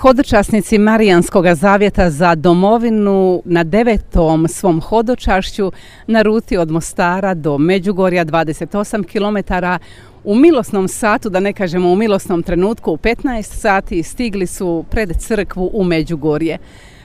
Hodočasnici Marijanskog zavjeta za domovinu na 9. svom hodočašću na ruti od Mostara do Međugorja 28 km u milosnom satu, da ne kažemo u milosnom trenutku, u 15 sati stigli su pred crkvu u Međugorje.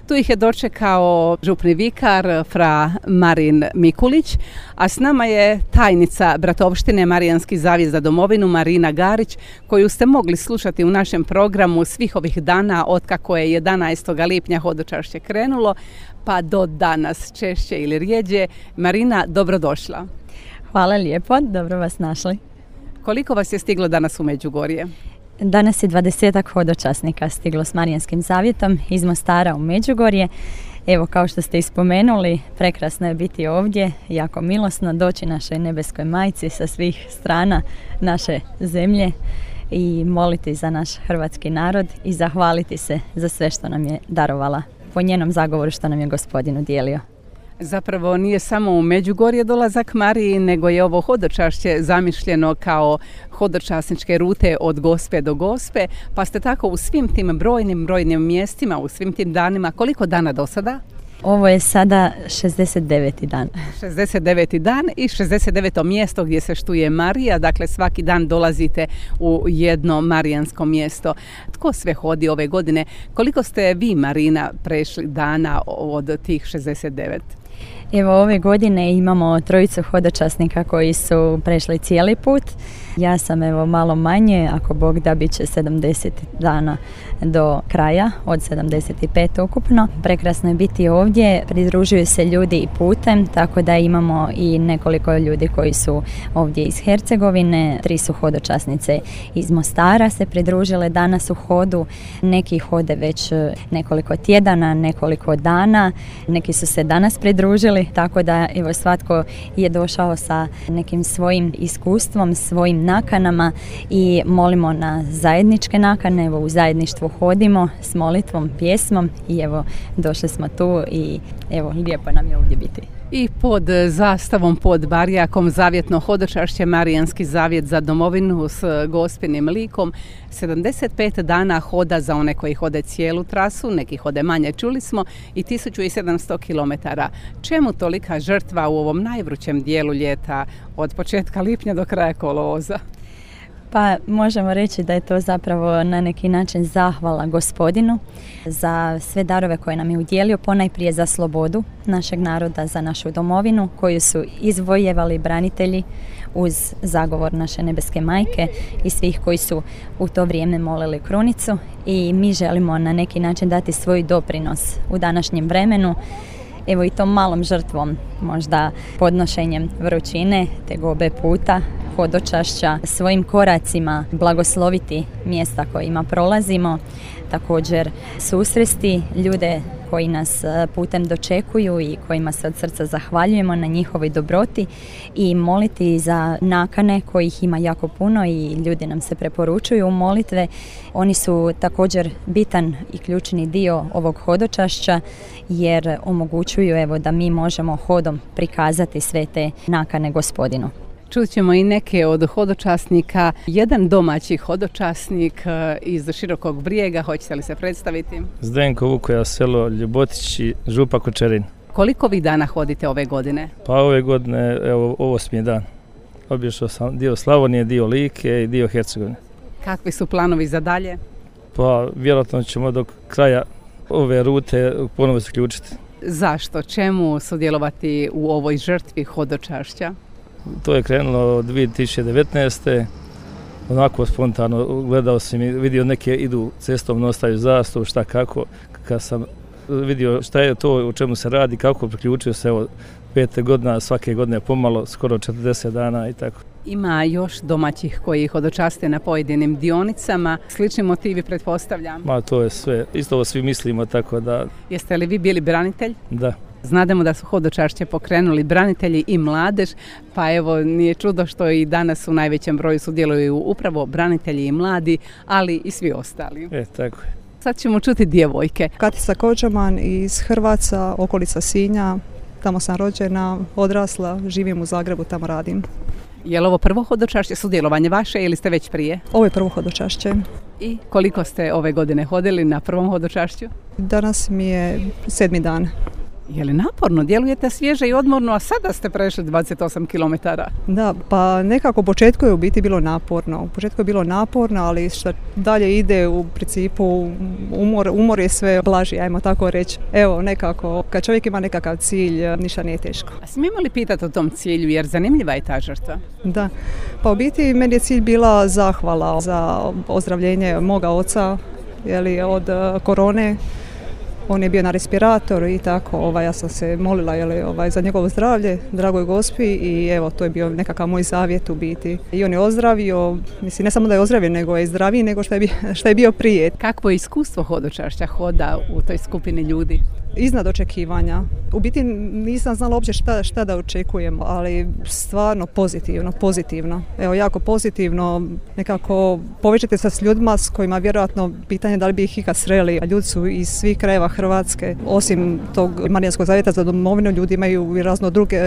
Tu ih je dočekao župni vikar fra Marin Mikulić, a s nama je tajnica Bratovštine Marijanski zavjet za domovinu Marina Garić, koju ste mogli slušati u našem programu svih ovih dana otkako je 11. lipnja hodočašće krenulo, pa do danas češće ili rijeđe. Marina, dobrodošla. Hvala lijepo, dobro vas našli. Koliko vas je stiglo danas u Međugorje? Danas je 20 hodočasnika stiglo s Marijanskim zavjetom iz Mostara u Međugorje. Evo, kao što ste ispomenuli, prekrasno je biti ovdje, jako milosno doći našoj nebeskoj majci sa svih strana naše zemlje i moliti za naš hrvatski narod i zahvaliti se za sve što nam je darovala po njenom zagovoru što nam je Gospodin udijelio. Zapravo nije samo u Međugorje dolazak Mariji, nego je ovo hodočašće zamišljeno kao hodočasničke rute od Gospe do Gospe, pa ste tako u svim tim brojnim mjestima, u svim tim danima. Koliko dana do sada? Ovo je sada 69. dan. 69. dan i 69. mjesto gdje se štuje Marija, dakle svaki dan dolazite u jedno marijansko mjesto. Tko sve hodi ove godine? Koliko ste vi, Marina, prešli dana od tih 69? Evo, ove godine imamo 3 hodočasnika koji su prešli cijeli put. Ja sam malo manje, ako Bog da, bit će 70 dana do kraja, od 75 ukupno. Prekrasno je biti ovdje, pridružuju se ljudi i putem, tako da imamo i nekoliko ljudi koji su ovdje iz Hercegovine. 3 su hodočasnice iz Mostara se pridružile danas u hodu. Neki hode već nekoliko tjedana, nekoliko dana, neki su se danas pridružili, tako da svatko je došao sa nekim svojim iskustvom, svojim nakanama i molimo na zajedničke nakane. U zajedništvu hodimo s molitvom, pjesmom i došli smo tu i lijepo nam je ovdje biti. I pod zastavom, pod barjakom zavjetno hodočašće Marijanski zavjet za domovinu s Gospinim likom. 75 dana hoda za one koji hode cijelu trasu, neki hode manje, čuli smo, i 1700 km. Čemu tolika žrtva u ovom najvrućem dijelu ljeta od početka lipnja do kraja kolovoza? Pa možemo reći da je to zapravo na neki način zahvala Gospodinu za sve darove koje nam je udjelio, ponajprije za slobodu našeg naroda, za našu domovinu koju su izvojevali branitelji uz zagovor naše nebeske majke i svih koji su u to vrijeme molili krunicu, i mi želimo na neki način dati svoj doprinos u današnjem vremenu. I tom malom žrtvom, možda podnošenjem vrućine, tegobe puta, hodočašća, svojim koracima blagosloviti mjesta kojima prolazimo, također susresti ljude koji nas putem dočekuju i kojima se od srca zahvaljujemo na njihovoj dobroti i moliti za nakane kojih ima jako puno i ljudi nam se preporučuju u molitve. Oni su također bitan i ključni dio ovog hodočašća jer omogućuju da mi možemo hodom prikazati sve te nakane Gospodinu. Čut ćemo i neke od hodočasnika. Jedan domaći hodočasnik iz Širokog Brijega, hoćete li se predstaviti? Zdenko Vukoja, selo Ljubotić i župa Kočerin. Koliko vi dana hodite ove godine? Pa ove godine, ovo 8. dan. Obišao sam dio Slavonije, dio Like i dio Hercegovine. Kakvi su planovi za dalje? Pa vjerojatno ćemo do kraja ove rute ponovo se ključiti. Zašto? Čemu sudjelovati u ovoj žrtvi hodočašća? To je krenulo od 2019. Onako spontano gledao sam i vidio neke idu cestom, ostaju zastavu, šta kako. Kad sam vidio šta je to, o čemu se radi, kako priključio se 5 godina, svake godine pomalo, skoro 40 dana i tako. Ima još domaćih koji hodočaste na pojedinim dionicama. Slični motivi, pretpostavljam? Ma to je sve. Isto ovo svi mislimo, tako da... Jeste li vi bili branitelj? Da. Znademo da su hodočašće pokrenuli branitelji i mladež, pa nije čudo što i danas u najvećem broju sudjeluju upravo branitelji i mladi, ali i svi ostali. Tako je. Sad ćemo čuti djevojke. Katica Kođaman iz Hrvaca, okolica Sinja. Tamo sam rođena, odrasla, živim u Zagrebu, tamo radim. Je li ovo prvo hodočašće, sudjelovanje vaše ili ste već prije? Ovo je prvo hodočašće. I koliko ste ove godine hodili na prvom hodočašću? Danas mi je 7. dan. Je li naporno? Djelujete svježe i odmorno, a sada ste prešli 28 km. Da, pa nekako u početku je u biti bilo naporno. U početku je bilo naporno, ali što dalje ide u principu umor je sve blaži, ajmo tako reći. Evo, nekako, kad čovjek ima nekakav cilj, ništa nije teško. A smijemo li pitati o tom cilju, jer zanimljiva je ta žrtva? Da, pa u biti meni je cilj bila zahvala za ozdravljenje moga oca, od korone. On je bio na respiratoru i tako, ja sam se molila za njegovo zdravlje, dragoj Gospi, i evo, to je bio nekakav moj zavjet u biti. I on je ozdravio, mislim, ne samo da je ozdravio, nego je zdraviji nego što je bio prije. Kakvo je iskustvo hodočašća, hoda u toj skupini ljudi? Iznad očekivanja. U biti nisam znala uopće šta da očekujem, ali stvarno pozitivno. Evo, jako pozitivno, nekako povećate se s ljudima s kojima vjerojatno pitanje da li bi ih ikad sreli, a ljudi su iz svih krajeva Hrvatske. Osim tog Marijanskog zavjeta za domovinu, ljudi imaju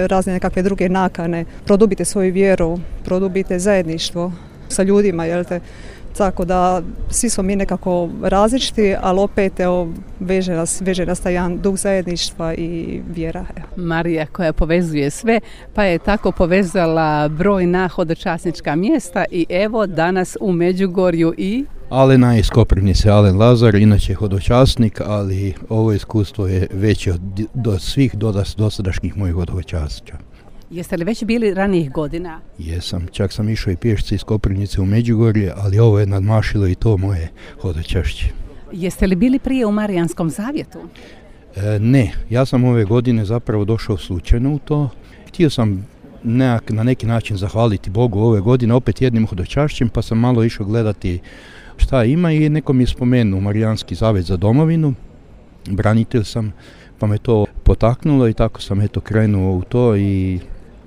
razne nekakve druge nakane. Produbite svoju vjeru, produbite zajedništvo sa ljudima, tako da svi smo mi nekako različiti, ali opet veže nas taj jedan duh zajedništva i vjera. Marija koja povezuje sve, pa je tako povezala brojna hodočasnička mjesta i evo danas u Međugorju i... Alena iz Koprivnice, Alen Lazar, inače hodočasnik, ali ovo iskustvo je veće od svih dosadašnjih mojih hodočasća. Jeste li već bili ranijih godina? Jesam, čak sam išao i pješci iz Koprivnice u Međugorje, ali ovo je nadmašilo i to moje hodočašće. Jeste li bili prije u Marijanskom zavjetu? Ne, ja sam ove godine zapravo došao slučajno u to. Htio sam na neki način zahvaliti Bogu ove godine opet jednim hodočašćem, pa sam malo išao gledati šta ima i neko mi je spomenuo Marijanski zavjet za domovinu. Branitelj sam, pa me to potaknulo i tako sam krenuo u to i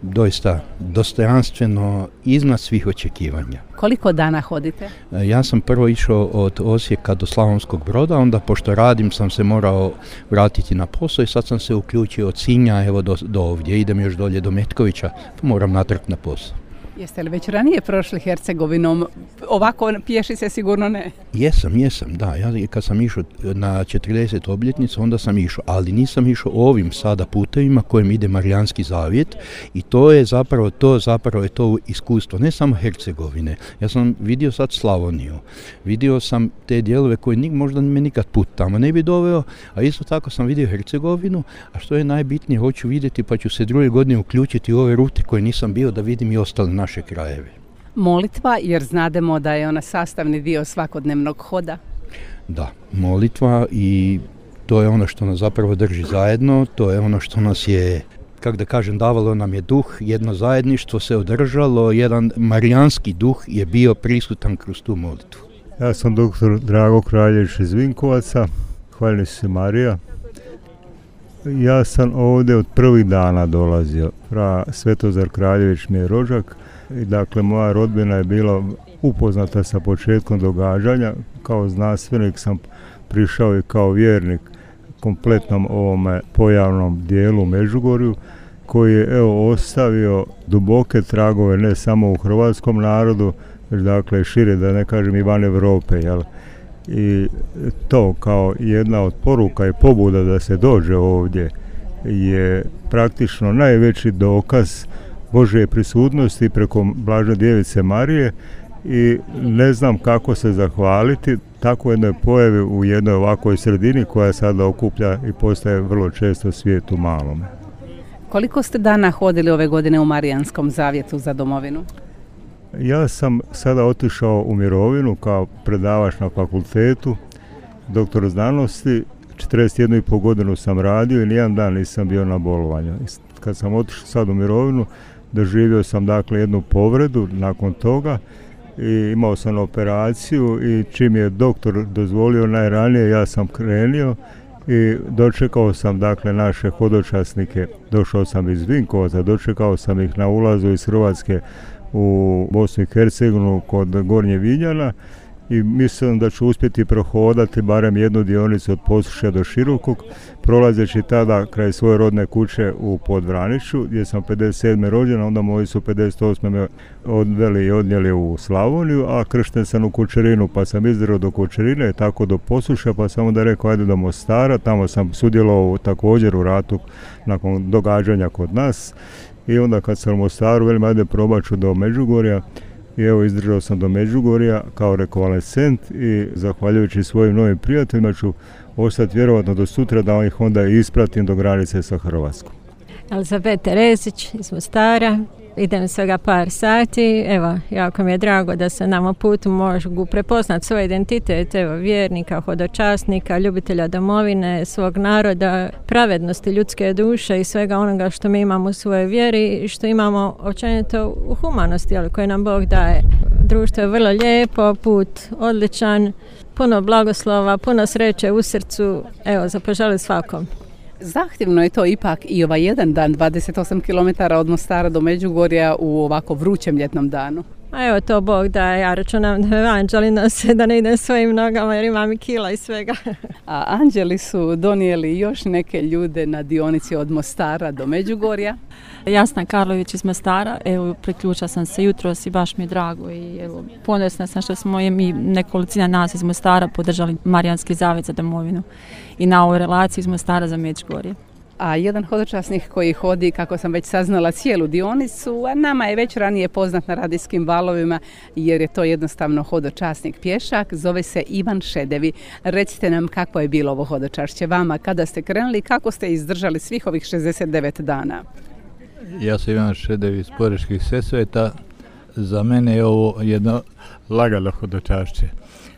doista dostojanstveno iznad svih očekivanja. Koliko dana hodite? Ja sam prvo išao od Osijeka do Slavonskog Broda, onda pošto radim sam se morao vratiti na posao i sad sam se uključio od Sinja do ovdje. Idem još dolje do Metkovića, pa moram natrag na posao. Jeste li već ranije prošli Hercegovinom? Ovako pješi se sigurno ne. Jesam, da. Ja kad sam išao na 40 obljetnicu, onda sam išao, ali nisam išao ovim sada putevima kojim ide Marijanski zavjet i to je zapravo to iskustvo, ne samo Hercegovine. Ja sam vidio sad Slavoniju, vidio sam te dijelove koje možda me nikad put tamo ne bi doveo, a isto tako sam vidio Hercegovinu, a što je najbitnije, hoću vidjeti pa ću se druge godine uključiti u ove rute koje nisam bio da vidim i ostale naše krajeve. Molitva, jer znademo da je ona sastavni dio svakodnevnog hoda. Da, molitva i to je ono što nas zapravo drži zajedno, to je ono što nas je, davalo nam je duh, jedno zajedništvo se održalo, jedan marijanski duh je bio prisutan kroz tu molitvu. Ja sam doktor Drago Kraljević iz Vinkovaca, hvaljeni se Marija. Ja sam ovdje od prvih dana dolazio. Svetozar Kraljević mi je rođak i dakle moja rodbina je bila upoznata sa početkom događanja. Kao znanstvenik sam prišao i kao vjernik kompletnom ovome pojavnom dijelu u Međugorju koji je ostavio duboke tragove ne samo u hrvatskom narodu, već dakle šire, da ne kažem i van Europe, I to kao jedna od poruka i pobuda da se dođe ovdje je praktično najveći dokaz Božje prisutnosti preko Blažene Djevice Marije i ne znam kako se zahvaliti tako jednoj pojavi u jednoj ovakvoj sredini koja sada okuplja i postaje vrlo često svijet u malome. Koliko ste dana hodili ove godine u Marijanskom zavjetu za domovinu? Ja sam sada otišao u mirovinu kao predavač na fakultetu, doktor znanosti. 41,5 godinu sam radio i nijedan dan nisam bio na bolovanju. Kad sam otišao sad u mirovinu, doživio sam dakle jednu povredu nakon toga i imao sam operaciju i čim je doktor dozvolio najranije, ja sam krenio i dočekao sam dakle naše hodočasnike. Došao sam iz Vinkovaca, dočekao sam ih na ulazu iz Hrvatske u Bosnu i Hercegovinu kod Gornje Vinjana i mislim da ću uspjeti prohodati barem jednu dionicu od Posušja do Širokog, prolazeći tada kraj svoje rodne kuće u Podvraniću, gdje sam 57. rođen, onda moji su 58. me odveli i odnijeli u Slavoniju, a kršten sam u Kučerinu, pa sam izdrao do Kučerine, tako do Posušja, pa sam onda rekao ajde do Mostara, tamo sam sudjelovao također u ratu nakon događanja kod nas, i onda kad sam u Mostaru, velim ajde probat ću do Međugorja, i evo izdržao sam do Međugorja kao rekonvalescent i zahvaljujući svojim novim prijateljima ću ostati vjerovatno do sutra da ih onda ispratim do granice sa Hrvatskom. Elizabeta Terezić iz Mostara, idem svega par sati, evo jako mi je drago da se nam putu mogu prepoznati svoj identitet, evo vjernika, hodočasnika, ljubitelja domovine, svog naroda, pravednosti ljudske duše i svega onoga što mi imamo u svojoj vjeri i što imamo općenito u humanosti, ali koje nam Bog daje. Društvo je vrlo lijepo, put odličan, puno blagoslova, puno sreće u srcu, evo zapoželim svakom. Zahtjevno je to ipak i ovaj jedan dan, 28 km od Mostara do Međugorja u ovako vrućem ljetnom danu. A evo to Bog da, ja računam da anđeli nose, da ne idem svojim nogama jer imam i kila i svega. A anđeli su donijeli još neke ljude na dionici od Mostara do Međugorja. Jasna Karlović iz Mostara, evo priključila sam se jutros i baš mi je drago i evo ponosna sam što smo mi nekolicina nas iz Mostara podržali Marijanski zavjet za domovinu i na ovoj relaciji iz Mostara za Međugorje. A jedan hodočasnik koji hodi, kako sam već saznala, cijelu dionicu, a nama je već ranije poznat na radijskim valovima jer je to jednostavno hodočasnik pješak, zove se Ivan Šedevi. Recite nam kako je bilo ovo hodočašće vama, kada ste krenuli, kako ste izdržali svih ovih 69 dana? Ja sam Ivan Šedevi iz Porečkih Sesveta. Za mene je ovo jedno lagano hodočašće.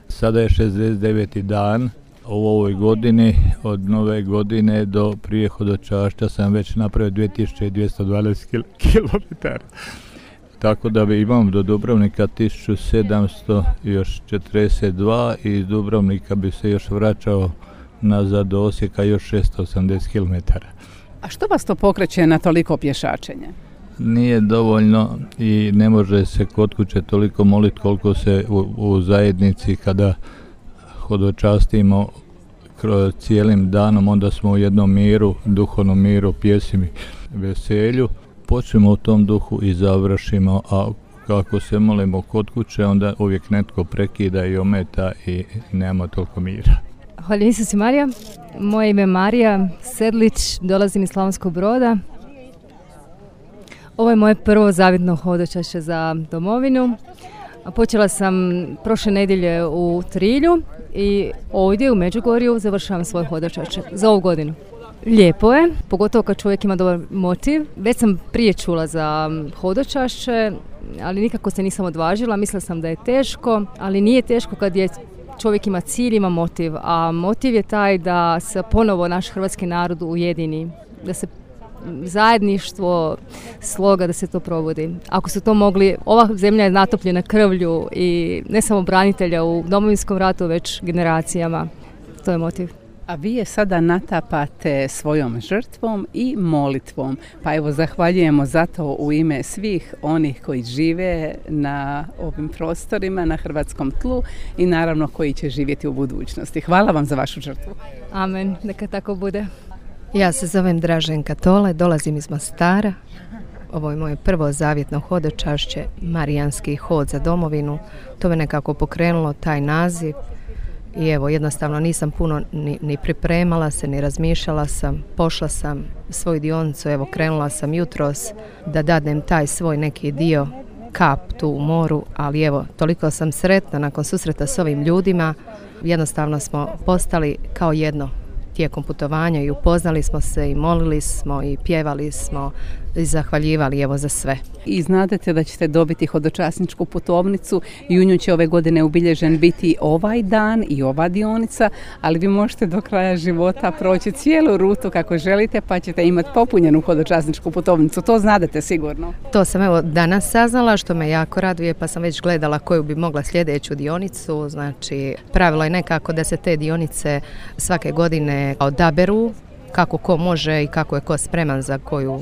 Sada je 69. dan. U ovoj godini, od nove godine do prije hodočašća sam već napravio 2212 km. Tako da imam do Dubrovnika 1742 i iz Dubrovnika bi se još vraćao nazad do Osijeka još 680 km. A što vas to pokreće na toliko pješačenje? Nije dovoljno i ne može se kod kuće toliko moliti koliko se u zajednici kada hodočastimo cijelim danom, onda smo u jednom miru, duhovnom miru, pjesmi, veselju. Počnemo u tom duhu i završimo, a kako se molimo kod kuće, onda uvijek netko prekida i ometa i nema toliko mira. Hvala Isus i Marija. Moje ime je Marija Sedlić, dolazim iz Slavonskog Broda. Ovo je moje prvo zavjetno hodočašće za domovinu. Počela sam prošle nedjelje u Trilju i ovdje u Međugorju završavam svoje hodočašće za ovu godinu. Lijepo je, pogotovo kad čovjek ima dobar motiv. Već sam prije čula za hodočašće, ali nikako se nisam odvažila. Mislila sam da je teško, ali nije teško kad je čovjek ima cilj, ima motiv. A motiv je taj da se ponovo naš hrvatski narod ujedini, da se zajedništvo, sloga, da se to provodi. Ako su to mogli, ova zemlja je natopljena krvlju i ne samo branitelja u Domovinskom ratu, već generacijama. To je motiv. A vi je sada natapate svojom žrtvom i molitvom. Pa evo, zahvaljujemo zato u ime svih onih koji žive na ovim prostorima, na hrvatskom tlu i naravno koji će živjeti u budućnosti. Hvala vam za vašu žrtvu. Amen, neka tako bude. Ja se zovem Draženka Tole, dolazim iz Mostara. Ovo je moje prvo zavjetno hodočašće, Marijanski hod za domovinu. To me nekako pokrenulo, taj naziv. I evo, jednostavno nisam puno ni pripremala se, ni razmišljala sam. Pošla sam svoju dionicu, evo krenula sam jutros da dadnem taj svoj neki dio, kap tu u moru, ali evo, toliko sam sretna nakon susreta s ovim ljudima. Jednostavno smo postali kao jedno tijekom putovanja i upoznali smo se i molili smo i pjevali smo i zahvaljivali evo za sve. I znadete da ćete dobiti hodočasničku putovnicu i u nju će ove godine ubilježen biti ovaj dan i ova dionica, ali vi možete do kraja života proći cijelu rutu kako želite pa ćete imati popunjenu hodočasničku putovnicu. To znadete sigurno. To sam evo danas saznala, što me jako raduje, pa sam već gledala koju bi mogla sljedeću dionicu. Znači, pravilo je nekako da se te dionice svake godine odaberu kako ko može i kako je ko spreman za koju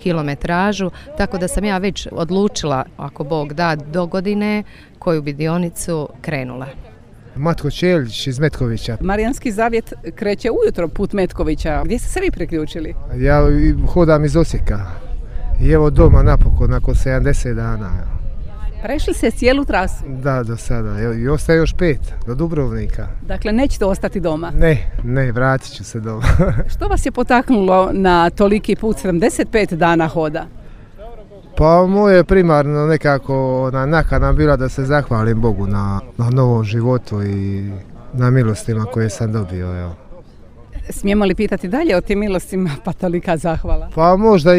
kilometražu, tako da sam ja već odlučila, ako Bog da, do godine koju bi dionicu krenula. Matko Čelić iz Metkovića. Marijanski zavjet kreće ujutro put Metkovića. Gdje ste se vi priključili? Ja hodam iz Osijeka i evo doma napokon, nakon 70 dana. Prešli ste cijelu trasu? Da, do sada. I ostaje još 5 do Dubrovnika. Dakle, nećete ostati doma? Ne, vratit ću se doma. Što vas je potaknulo na toliki put, 75 dana hoda? Pa moje primarno nekako nakana bila da se zahvalim Bogu na novom životu i na milostima koje sam dobio. Evo. Smijemo li pitati dalje o tim milostima, pa tolika zahvala? Pa možda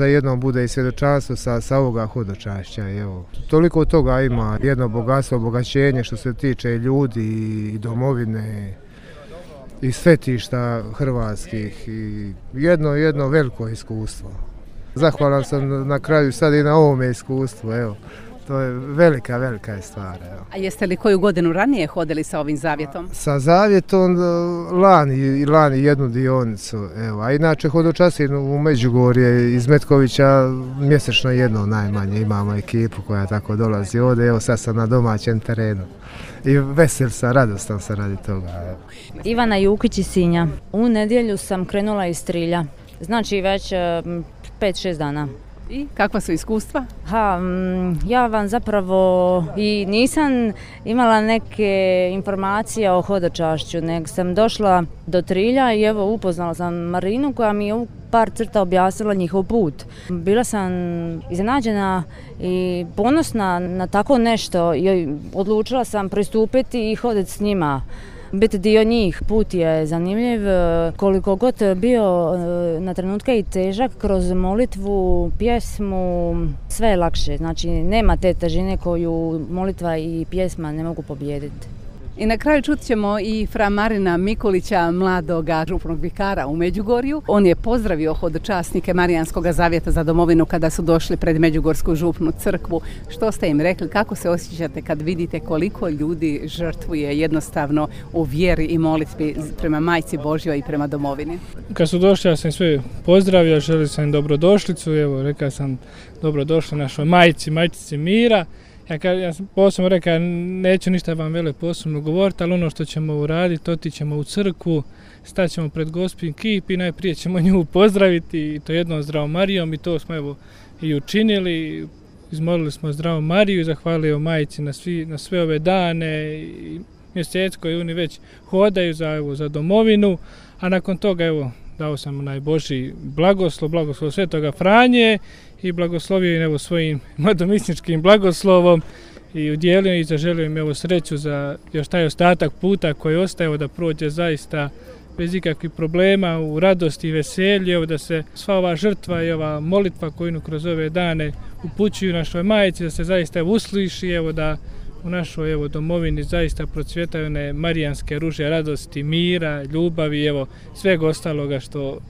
jednom bude i svjedočanstvo sa ovoga hodočašća. Evo. Toliko toga ima, jedno bogatstvo, obogaćenje što se tiče ljudi i domovine i svetišta hrvatskih i jedno veliko iskustvo. Zahvalan sam na kraju sad i na ovome iskustvu, evo. To je velika stvar. Evo. A jeste li koju godinu ranije hodili sa ovim zavjetom? Sa zavjetom lani jednu dionicu, evo. A inače hodočasim u Međugorje iz Metkovića mjesečno jedno najmanje. Imamo ekipu koja tako dolazi ovdje, evo sad sam na domaćem terenu. I vesel sam, radostan sam radi toga. Evo. Ivana Jukić iz Sinja. U nedjelju sam krenula iz Trilja, znači već 5-6 dana. I kakva su iskustva? Ja vam zapravo i nisam imala neke informacije o hodočašću, nego sam došla do Trilja i evo upoznala sam Marinu koja mi je u par crta objasnila njihov put. Bila sam iznenađena i ponosna na tako nešto i odlučila sam pristupiti i hoditi s njima. Biti dio njih, put je zanimljiv, koliko god bio na trenutke i težak, kroz molitvu, pjesmu, sve je lakše. Znači nema te težine koju molitva i pjesma ne mogu pobijediti. I na kraju čut ćemo i fra Marina Mikulića, mladoga župnog vikara u Međugorju. On je pozdravio hodočasnike Marijanskog zavjeta za domovinu kada su došli pred Međugorsku župnu crkvu. Što ste im rekli, kako se osjećate kad vidite koliko ljudi žrtvuje jednostavno u vjeri i molitvi prema Majci Božjoj i prema domovini? Kad su došli, ja sam sve pozdravio, želio sam im dobrodošlicu, evo rekao sam dobrodošli našoj majčici mira. Ja sam posebno rekao, neću ništa vam posebno govoriti, ali ono što ćemo uraditi, otićemo u crkvu, staćemo pred Gospin kip i najprije ćemo nju pozdraviti, i to jednom Zdravom Marijom, i to smo evo i učinili. Izmolili smo Zdravu Mariju i zahvalili Majici na sve ove dane i mjesec koji oni već hodaju za domovinu, a nakon toga evo dao sam najbožji blagoslov Svetoga Franje i blagoslovio im svojim mladomisničkim blagoslovom i udjelio i zaželio im sreću za još taj ostatak puta koji ostaje da prođe zaista bez ikakvih problema, u radosti i veselju, da se sva ova žrtva i ova molitva koju kroz ove dane upućuju našoj Majici, da se zaista usliši, da u našoj domovini zaista procvjetaju one marijanske ruže radosti, mira, ljubavi, svega ostaloga što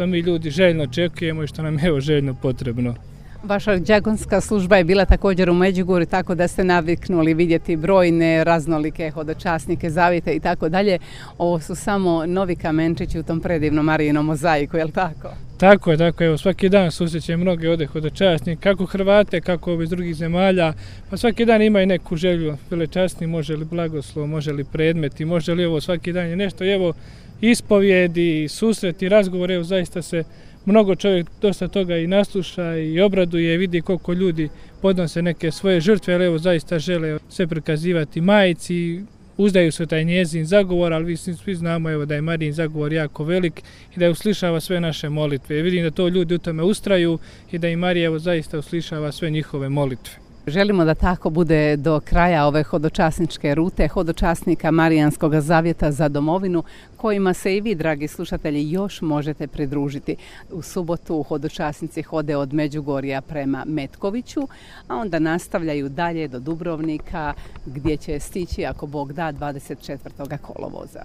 mi ljudi željno očekujemo i što nam je željno potrebno. Vaša đakonska služba je bila također u Međugorju, tako da ste naviknuli vidjeti brojne raznolike hodočasnike, zavjete i tako dalje. Ovo su samo novi kamenčići u tom predivnom Marijinom mozaiku, je li tako? Tako je, svaki dan susrećem mnoge ovdje hodočasnike, kako Hrvate, kako iz drugih zemalja, pa svaki dan imaju neku želju, velečasni, može li blagoslov, može li predmeti, može li svaki dan je nešto, ispovjedi, susreti, razgovor, zaista se mnogo čovjek dosta toga i nasluša i obraduje, vidi koliko ljudi podnose neke svoje žrtve, ali zaista žele sve prikazivati Majici, uzdaju se taj njezin zagovor, ali svi znamo da je Marijin zagovor jako velik i da je uslišava sve naše molitve. Vidim da to ljudi u tome ustraju i da i Marija zaista uslišava sve njihove molitve. Želimo da tako bude do kraja ove hodočasničke rute, hodočasnika Marijanskog zavjeta za domovinu, kojima se i vi, dragi slušatelji, još možete pridružiti. U subotu hodočasnici hode od Međugorja prema Metkoviću, a onda nastavljaju dalje do Dubrovnika, gdje će stići, ako Bog da, 24. kolovoza.